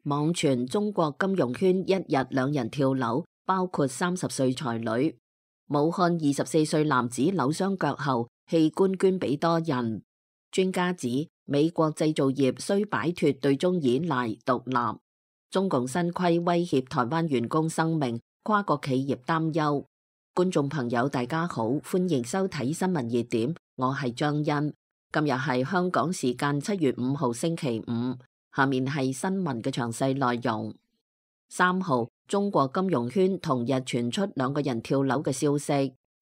網傳中國金融圈一日兩人跳樓，包括30歲才女。武漢24歲男子扭傷腳後，器官捐俾多人。專家指美國製造業需擺脫對中依賴獨立。中共新規威脅台灣員工生命，跨國企業擔憂。觀眾朋友大家好，歡迎收睇新聞熱點，我係張欣。今日係香港時間7月5號星期五，下面係新聞嘅詳細內容。3號，中國金融圈同日傳出2個人跳樓嘅消息，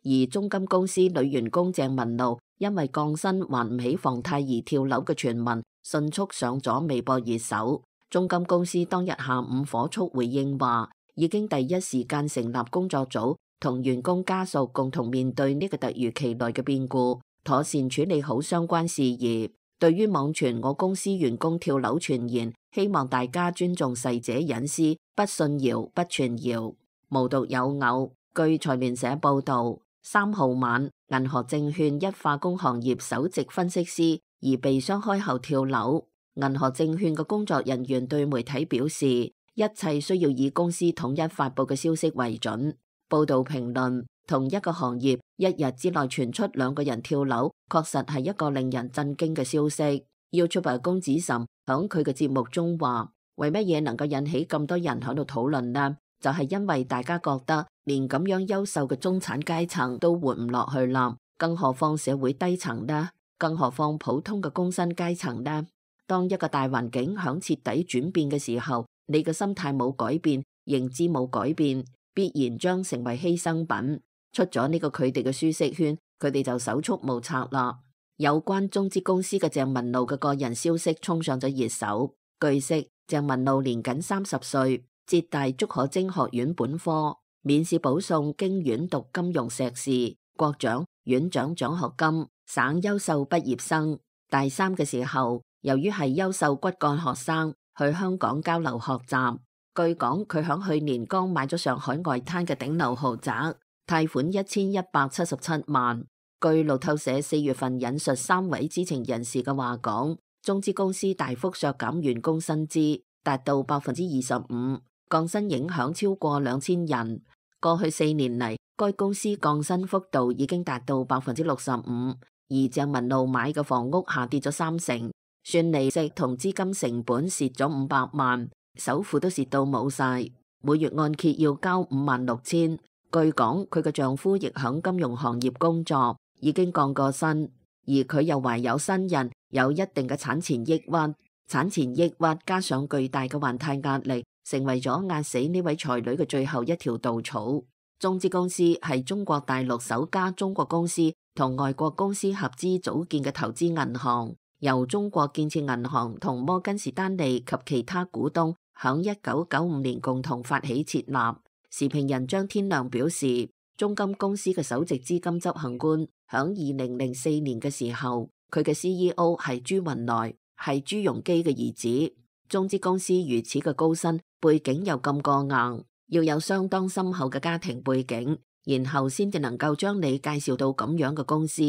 而中金公司女員工鄭文露因為降薪還唔起房貸而跳樓嘅傳聞迅速上咗微博熱搜。中金公司當日下午火速回應話，已經第一時間成立工作組，同員工家屬共同面對呢個突如其來嘅變故，妥善處理好相關事宜。對於網傳我公司員工跳樓傳言，希望大家尊重逝者隱私，不信謠不傳謠，無獨有偶。據財聯社報道，3號晚，銀河證券一化工行業首席分析師而被雙開後跳樓。銀河證券嘅工作人員對媒體表示，一切需要以公司統一發佈嘅消息為準。報道評論，同一個行業一日之內傳出2個人跳樓，確實係一個令人震驚嘅消息。YouTuber 龔子岑響佢嘅節目中話，為乜嘢能夠引起咁多人喺度討論呢？就係因為大家覺得連咁樣優秀嘅中產階層都活唔落去啦，更何況社會低層呢？更何況普通嘅工薪階層呢？當一個大環境響徹底轉變嘅時候，你嘅心態冇改變，認知冇改變，必然將成為犧牲品。出咗呢個佢哋嘅舒適圈，佢哋就手足無策啦。有關中資公司嘅鄭文露嘅個人消息衝上咗熱搜。據悉，鄭文露年僅30歲，浙大竺可楨學院本科，免試保送經院讀金融碩士，國獎、院長獎學金，省優秀畢業生。大3嘅時候，由於係優秀骨幹學生，去香港交流學習。據講，佢響去年剛買咗上海外灘嘅頂樓豪宅，貸款1177萬。據路透社4月份引述3位知情人士嘅話講，中資公司大幅削減員工薪資，達到25%，降薪影響超過2000人。過去4年嚟，該公司降薪幅度已經達到65%，而鄭文露買嘅房屋下跌咗30%，算利息同資金成本蝕咗500萬，首付都蝕到冇晒，每月按揭要交56000。據講，佢嘅丈夫亦響金融行業工作，已經降過薪，而佢又懷有新人，有一定嘅產前抑鬱。產前抑鬱加上巨大嘅還貸壓力，成為咗壓死呢位才女嘅最後一條稻草。中資公司係中國大陸首家中國公司同外國公司合資組建嘅投資銀行，由中國建設銀行同摩根士丹利及其他股東響1995年共同發起設立。時評人張天亮表示，中金公司嘅首席資金執行官響2004年嘅時候，佢嘅 CEO 係朱雲來，係朱鎔基嘅兒子。中資公司如此嘅高薪，背景又咁過硬，要有相當深厚嘅家庭背景，然後先至能夠將你介紹到咁樣嘅公司。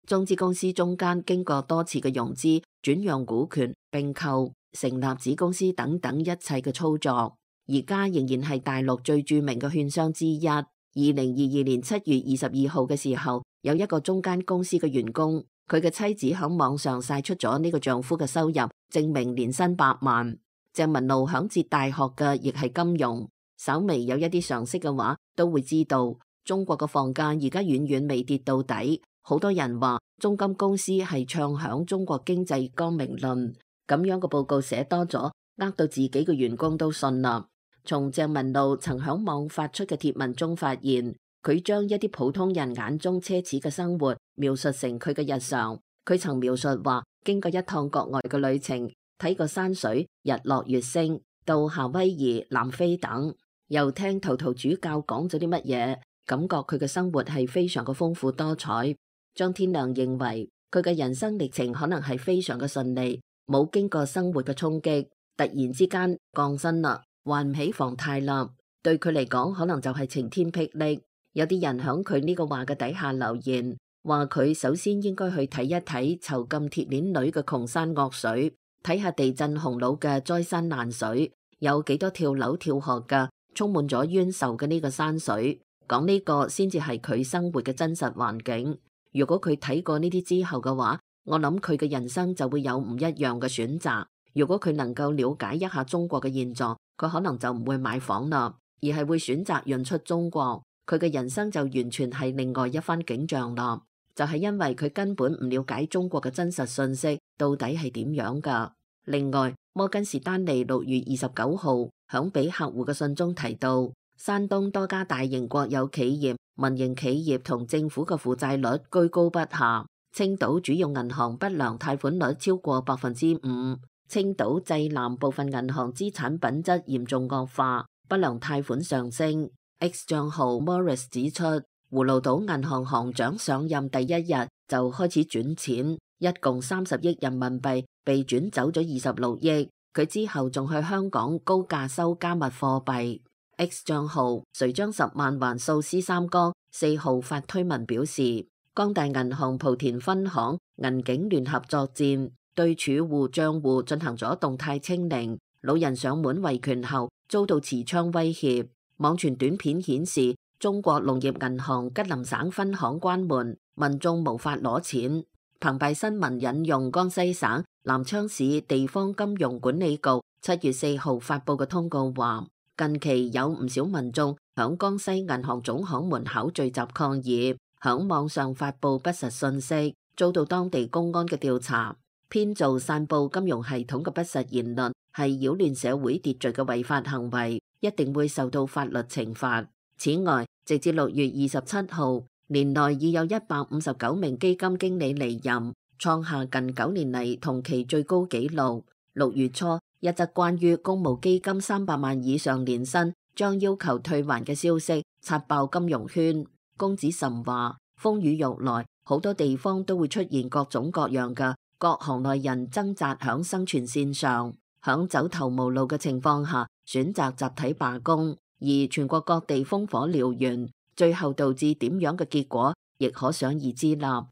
中資公司中間經過多次嘅融資、轉讓股權、併購、成立子公司等等一切嘅操作。而家仍然係大陸最著名嘅券商之一。2022年7月22號嘅時候，有一個中間公司嘅員工，佢嘅妻子響網上晒出咗呢個丈夫嘅收入，證明年薪100萬。鄭文露響浙大學嘅亦係金融，稍微有一啲常識嘅話，都會知道中國嘅房價而家遠遠未跌到底。好多人話中金公司係唱響中國經濟光明論，咁樣嘅報告寫多咗，呃到自己嘅員工都信啦。從鄭文露曾響網發出嘅貼文中發現，佢將一啲普通人眼中奢侈嘅生活描述成佢嘅日常。佢曾描述話，經過一趟國外嘅旅程，睇過山水、日落月升，到夏威夷、南非等，又聽陶陶主教講咗啲乜嘢，感覺佢嘅生活係非常嘅豐富多彩。張天亮認為，佢嘅人生歷程可能係非常嘅順利，冇經過生活嘅衝擊，突然之間降薪啦，還唔起房貸啦，對佢嚟講可能就係晴天霹靂。有啲人響佢呢個話嘅底下留言，話佢首先應該去睇一睇囚禁鐵鏈女嘅窮山惡水，睇下地震洪澇嘅災山難水，有幾多跳樓跳河㗎，充滿咗冤仇嘅呢個山水。講呢個先至係佢生活嘅真實環境。如果佢睇過呢啲之後嘅話，我諗佢嘅人生就會有唔一樣嘅選擇。如果佢能夠了解一下中國嘅現狀，佢可能就唔會買房啦，而係會選擇潤出中國。佢嘅人生就完全係另外一番景象啦。就係因為佢根本唔了解中國嘅真實信息到底係點樣㗎。另外，摩根士丹利6月29號響俾客戶嘅信中提到，山東多家大型國有企業、民營企業同政府嘅負債率居高不下。青島主要銀行不良貸款率超過5%。青島濟南部分銀行資產品質嚴重惡化，不良貸款上升。X 賬號 Morris 指出，葫蘆島銀行行長上任第一日就開始轉錢，一共30億人民幣被轉走咗26億。佢之後仲去香港高價收加密貨幣。X 賬號誰將10萬還數師三哥4號發推文表示，光大銀行莆田分行銀警聯合作戰，對儲戶賬戶進行咗動態清零。老人上門維權後遭到持槍威脅。網傳短片顯示，中國農業銀行吉林省分行關門，民眾無法攞錢。澎湃新聞引用江西省南昌市地方金融管理局7月4號發布嘅通告話，近期有唔少民眾響江西銀行總行門口聚集抗議，響網上發布不實信息，遭到當地公安嘅調查。編造散布金融系統嘅不實言論係擾亂社會秩序嘅違法行為，一定會受到法律懲罰。此外，直至6月27號，年內已有159名基金經理離任，創下近9年嚟同期最高紀錄。6月初，一則關於公募基金300萬以上年薪將要求退還嘅消息刷爆金融圈。龔子岑話：風雨欲來，好多地方都會出現各種各樣嘅各行內人掙扎響生存線上，響走投無路嘅情況下選擇集體罷工，而全國各地烽火燎原，最後導致點樣嘅結果，亦可想而知啦。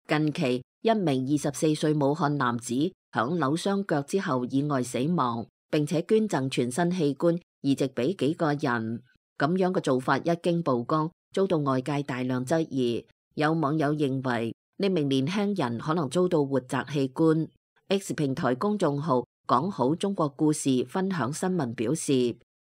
近期，一名24歲武漢男子響扭傷腳之後意外死亡，並且捐贈全身器官移植俾幾個人，咁樣嘅做法一經曝光，遭到外界大量質疑。有網友認為呢名年輕人可能遭到活摘器官。X 平台公眾號講好中國故事分享新聞表示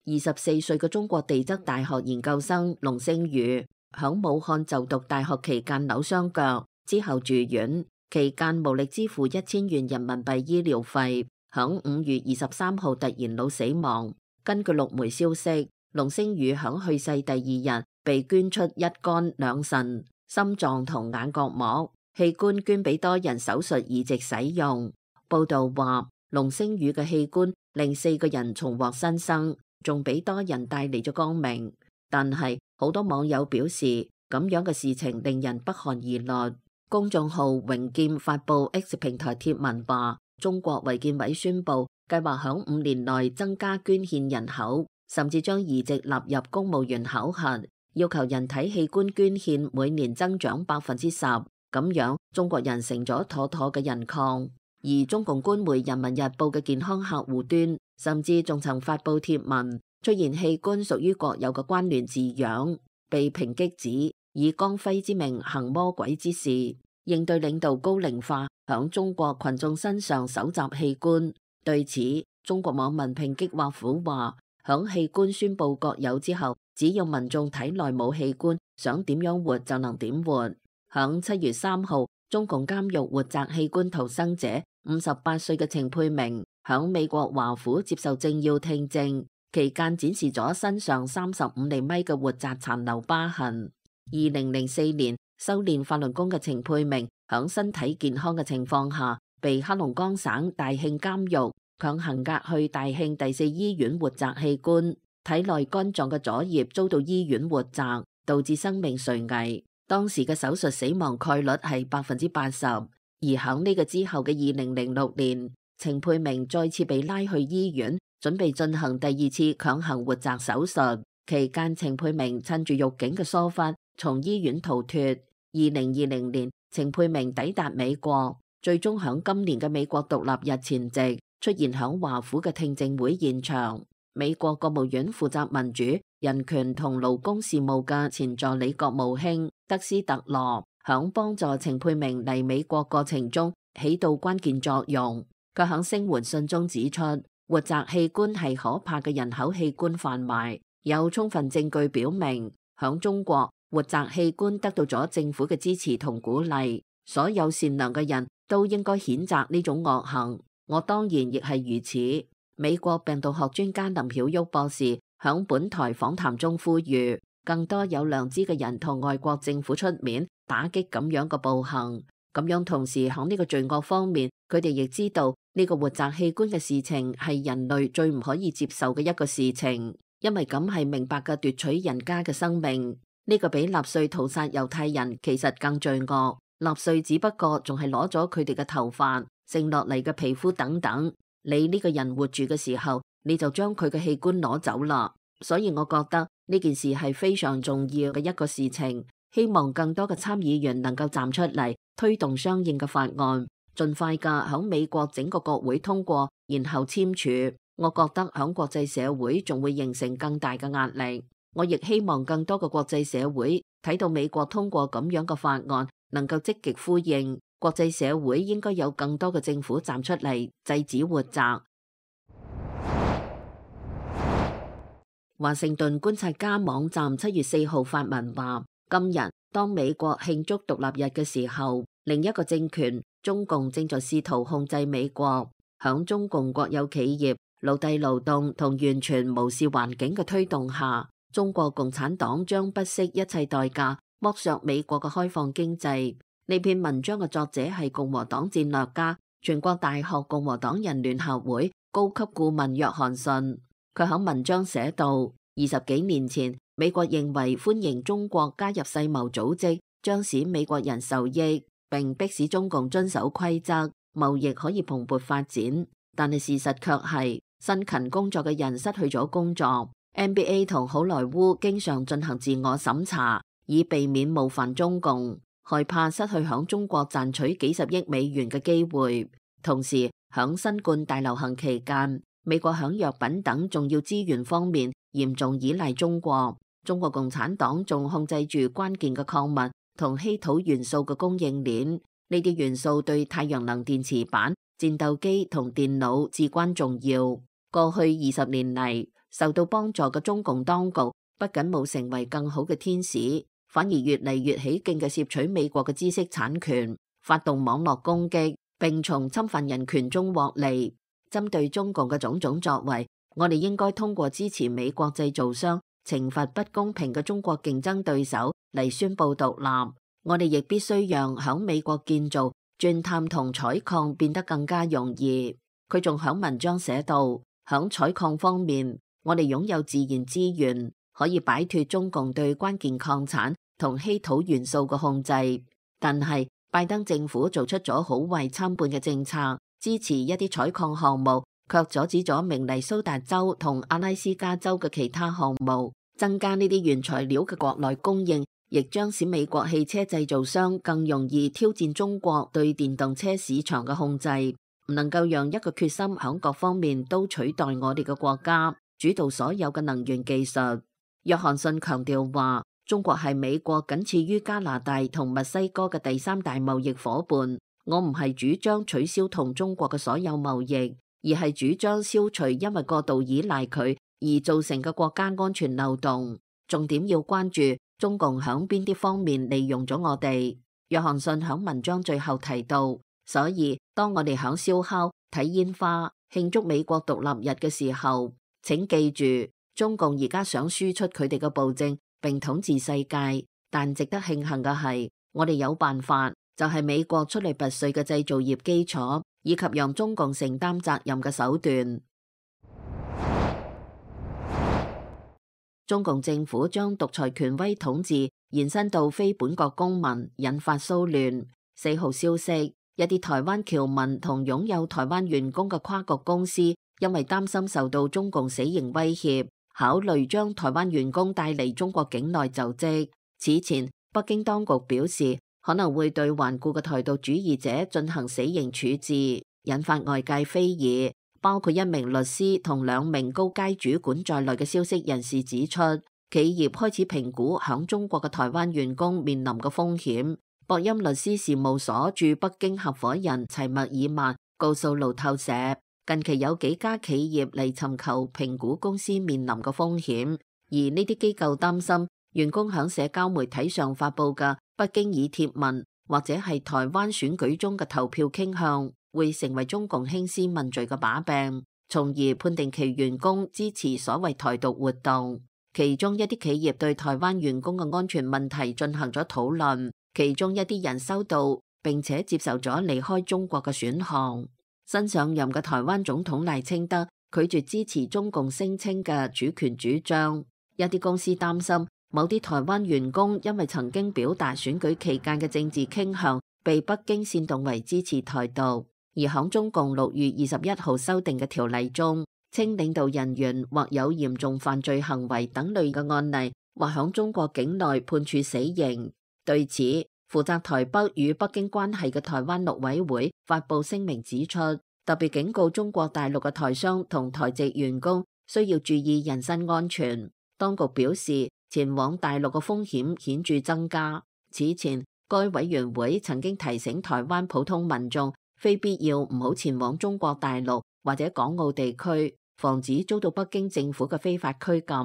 ，24歲嘅中國地質大學研究生龍星宇響武漢就讀大學期間扭傷腳，之後住院，期間無力支付1000元人民幣醫療費，響5月23號突然腦死亡。根據陸媒消息，龍星宇響去世第2日被捐出一肝兩腎、心臟同眼角膜器官，捐俾多人手術移植使用。報道話，龍星宇嘅器官令4個人重獲新生，仲俾多人帶嚟咗光明。但係好多網友表示，咁樣嘅事情令人不寒而慄。公眾號榮劍發布 X 平台貼文話，中國衛健委宣布計劃響5年內增加捐獻人口，甚至將移植納入公務員考核，要求人體器官捐獻每年增長10%，咁樣中國人成咗妥妥嘅人礦。而中共官媒人民日報嘅健康客戶端甚至仲曾發布貼文，出現器官屬於國有嘅關聯字樣，被抨擊指以光輝之名行魔鬼之事，應對領導高齡化響中國群眾身上搜集器官。對此，中國網民抨擊華府話，響器官宣布國有之後，只要民眾體內冇器官，想點樣活就能點活。響7月3號，中共監獄活摘器官逃生者58歲嘅程佩明響美國華府接受政要聽證期間，展示咗身上35厘米嘅活摘殘留疤痕。2004年修煉法輪功嘅程佩明響身體健康嘅情況下，被黑龍江省大慶監獄強行押去大慶第4醫院活摘器官，體內肝臟嘅左葉遭到醫院活摘，導致生命垂危。當時嘅手術死亡概率係80%。而響呢個之後嘅2006年，程佩明再次被拉去醫院，準備進行第2次強行活摘手術。期間，程佩明趁住獄警嘅疏忽，從醫院逃脫。2020年，程佩明抵達美國，最終響今年嘅美國獨立日前夕出現響華府嘅聽證會現場。美國國務院負責民主、人權同勞工事務嘅前助理國務卿德斯特羅響幫助程佩明嚟美國過程中起到關鍵作用。佢響聲援信中指出，活摘器官係可怕嘅人口器官販賣，有充分證據表明響中國活摘器官得到咗政府嘅支持同鼓勵。所有善良嘅人都應該譴責呢種惡行，我當然亦係如此。美國病毒學專家林曉旭博士響本台訪談中呼籲，更多有良知嘅人同外國政府出面打擊咁樣嘅暴行。咁樣同時響呢個罪惡方面，佢哋亦知道呢個活摘器官嘅事情係人類最唔可以接受嘅一個事情，因為咁係明白嘅奪取人家嘅生命。呢個比納粹屠殺猶太人其實更罪惡。納粹只不過仲係攞咗佢哋嘅頭髮、剩落嚟嘅皮膚等等。你呢個人活住嘅時候，你就將佢嘅器官攞走啦。所以我覺得呢件事係非常重要嘅一個事情，希望更多嘅參議員能夠站出嚟推動相應嘅法案，盡快嘅響美國整個國會通過，然後簽署。我覺得響國際社會仲會形成更大嘅壓力。我亦希望更多嘅國際社會睇到美國通過咁樣嘅法案，能夠積極呼應。國際社會應該有更多嘅政府站出嚟制止活摘。華盛頓觀察家網站7月4號發文話，今日當美國慶祝獨立日嘅時候，另一個政權中共正在試圖控制美國。響中共國有企業奴隸勞動同完全無視環境嘅推動下，中國共產黨將不惜一切代價剝削美國嘅開放經濟。呢篇文章嘅作者係共和黨戰略家、全國大學共和黨人聯合會高級顧問約翰遜。佢喺文章寫到，20幾年前，美國認為歡迎中國加入世貿組織將使美國人受益，並迫使中共遵守規則，貿易可以蓬勃發展。但係事實卻係，辛勤工作嘅人失去咗工作。NBA 同好萊塢經常進行自我審查，以避免冒犯中共，害怕失去響中國賺取幾十億美元嘅機會。同時，響新冠大流行期間，美國響藥品等重要資源方面嚴重依賴中國。中國共產黨仲控制住關鍵嘅礦物同稀土元素嘅供應鏈，呢啲元素對太陽能電池板、戰鬥機同電腦至關重要。過去20年嚟，受到幫助嘅中共當局不僅冇成為更好嘅天使，反而越嚟越起勁嘅攝取美國嘅知識產權，發動網絡攻擊，並從侵犯人權中獲利。針對中共嘅種種作為，我哋應該通過支持美國製造商、懲罰不公平嘅中國競爭對手嚟宣布獨立。我哋亦必須讓響美國建造、鑽探同採礦變得更加容易。佢仲響文章寫到，響採礦方面，我哋擁有自然資源，可以擺脫中共對關鍵礦產同稀土元素嘅控制。但係拜登政府做出咗好壞參半嘅政策，支持一啲採礦項目，卻阻止咗明尼蘇達州同阿拉斯加州嘅其他項目。增加呢啲原材料嘅國內供應，亦將使美國汽車製造商更容易挑戰中國對電動車市場嘅控制。唔能夠讓一個決心響各方面都取代我哋嘅國家主導所有嘅能源技術。約翰遜強調話，中國係美國僅次於加拿大同墨西哥嘅第三大貿易夥伴。我唔係主張取消同中國嘅所有貿易，而係主張消除因為過度依賴佢而造成嘅國家安全漏洞。重點要關注中共響邊啲方面利用咗我哋。約翰遜響文章最後提到，所以當我哋響燒烤、睇煙花、慶祝美國獨立日嘅時候，請記住，中共而家想輸出佢哋嘅暴政並統治世界。但值得慶幸嘅係，我哋有辦法，就係美國出類拔萃嘅製造業基礎，以及讓中共承擔責任嘅手段。中共政府將獨裁權威統治延伸到非本國公民，引發騷亂。4號消息，一啲台灣僑民同擁有台灣員工嘅跨國公司，因為擔心受到中共死刑威脅，考慮將台灣員工帶嚟中國境內就職。此前，北京當局表示可能會對頑固嘅台獨主義者進行死刑處置，引發外界非議。包括一名律師同2名高階主管在內嘅消息人士指出，企業開始評估響中國嘅台灣員工面臨嘅風險。博鑫律師事務所駐北京合夥人齊默爾曼告訴路透社，近期有幾家企業嚟尋求評估公司面臨嘅風險，而呢啲機構擔心員工響社交媒體上發佈嘅不經意貼文或者係台灣選舉中嘅投票傾向，會成為中共興師問罪嘅把柄，從而判定其員工支持所謂台獨活動。其中一啲企業對台灣員工嘅安全問題進行咗討論，其中一啲人收到並且接受咗離開中國嘅選項。新上任嘅台灣總統賴清德拒絕支持中共聲稱嘅主權主張。一啲公司擔心某啲台灣員工因為曾經表達選舉期間嘅政治傾向，被北京煽動為支持台獨。而響中共6月21號修訂嘅條例中，稱領導人員或有嚴重犯罪行為等類嘅案例，或響中國境內判處死刑。對此，負責台北與北京關係嘅台灣陸委會發布聲明指出，特別警告中國大陸嘅台商同台籍員工需要注意人身安全。當局表示，前往大陸嘅風險顯著增加。此前，該委員會曾經提醒台灣普通民眾，非必要唔好前往中國大陸或者港澳地區，防止遭到北京政府嘅非法拘禁。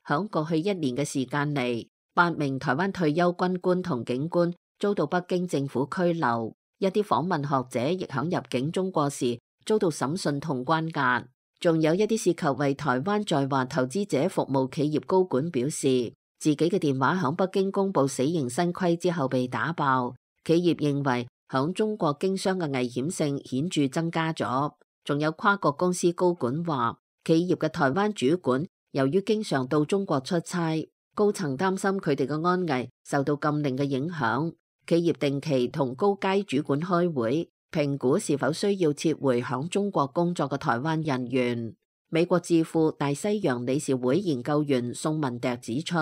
響過去1年嘅時間嚟，8名台灣退休軍官同警官遭到北京政府拘留，一啲訪問學者亦響入境中國時遭到審訊同關押。仲有一啲涉及為台灣在華投資者服務企業高管表示，自己嘅電話響北京公布死刑新規之後被打爆。企業認為響中國經商嘅危險性顯著增加咗。仲有跨國公司高管話，企業嘅台灣主管由於經常到中國出差，高層擔心佢哋嘅安危受到禁令嘅影響。企業定期同高階主管開會，評估是否需要撤回響中國工作嘅台灣人員。美國智庫大西洋理事會研究員宋文迪指出，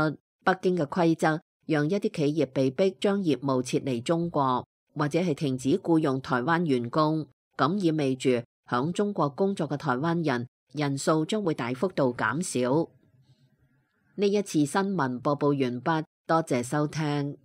北京嘅規則讓一啲企業被迫將業務撤離中國，或者係停止僱用台灣員工，咁意味住響中國工作嘅台灣人人數將會大幅度減少。呢一次新聞播報完畢，多謝收聽。